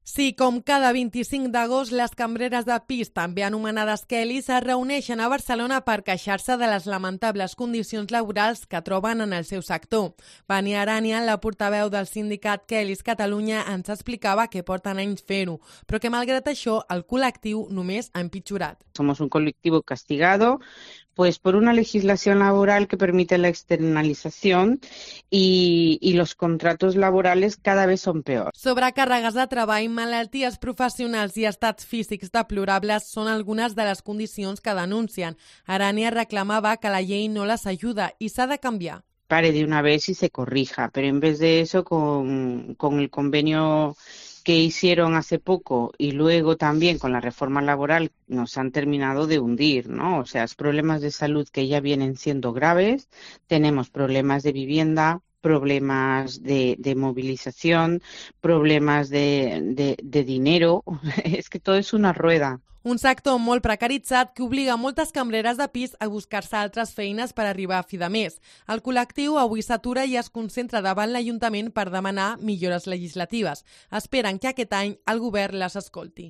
Sí, com cada 25 d'agost, les cambreres de pis, també anomenades Kellys, es reuneixen a Barcelona per queixar-se de les lamentables condicions laborals que troben en el seu sector. Vania Aranian, la portaveu del sindicat Kellys Catalunya, ens explicava que porten anys fer-ho, però que malgrat això el col·lectiu només ha empitjorat. Somos un colectivo castigado pues por una legislación laboral que permite la externalización y los contratos laborales cada vez son peor. Sobrecàrregues de treball, malalties professionals i estats físics deplorables són algunes de les condicions que denuncien. Arania reclamava que la llei no les ajuda i s'ha de canviar. Pare de una vez y se corrija, pero en vez de eso, con el convenio que hicieron hace poco y luego también con la reforma laboral nos han terminado de hundir, ¿no? O sea, los problemas de salud que ya vienen siendo graves, tenemos problemas de vivienda, problemas de movilización, problemas de dinero, es que todo es una rueda. Un sector molt precaritzat que obliga moltes cambreres de pis a buscar-se altres feines per arribar a fi de mes. El col·lectiu avui s'atura i es concentra davant l'Ajuntament per demanar millores legislatives. Esperen que aquest any el govern les escolti.